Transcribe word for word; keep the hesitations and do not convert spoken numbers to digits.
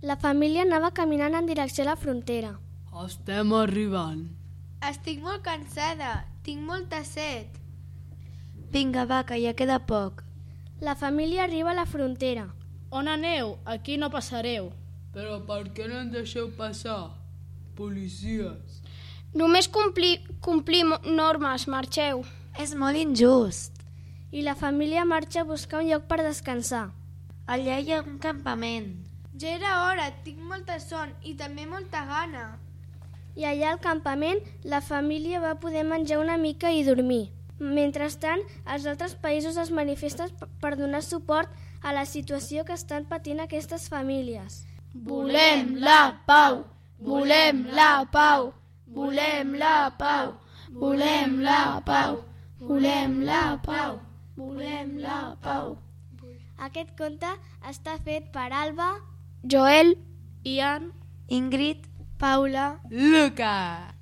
La família anava caminant en direcció a la frontera. Estem arribant. Estic molt cansada, tinc molta set. Vinga, va, que ja queda poc. La família arriba a la frontera. On aneu? Aquí no passareu. Però per què no en deixeu passar? Policies. Només complir, complir normes, marxeu. És molt injust. I la família marxa a buscar un lloc per descansar. Allà hi ha un campament. Ja era hora, tinc molta son i també molta gana. I allà al campament la família va poder menjar una mica i dormir. Mentrestant, als altres països es manifesten per donar suport a la situació que estan patint aquestes famílies. Volem la pau! Volem la pau! Volem la pau! Volem la pau! Volem la pau! Volem la pau! Aquest conte està fet per Alba, Joel, Ian, Ingrid, Paula, Luca.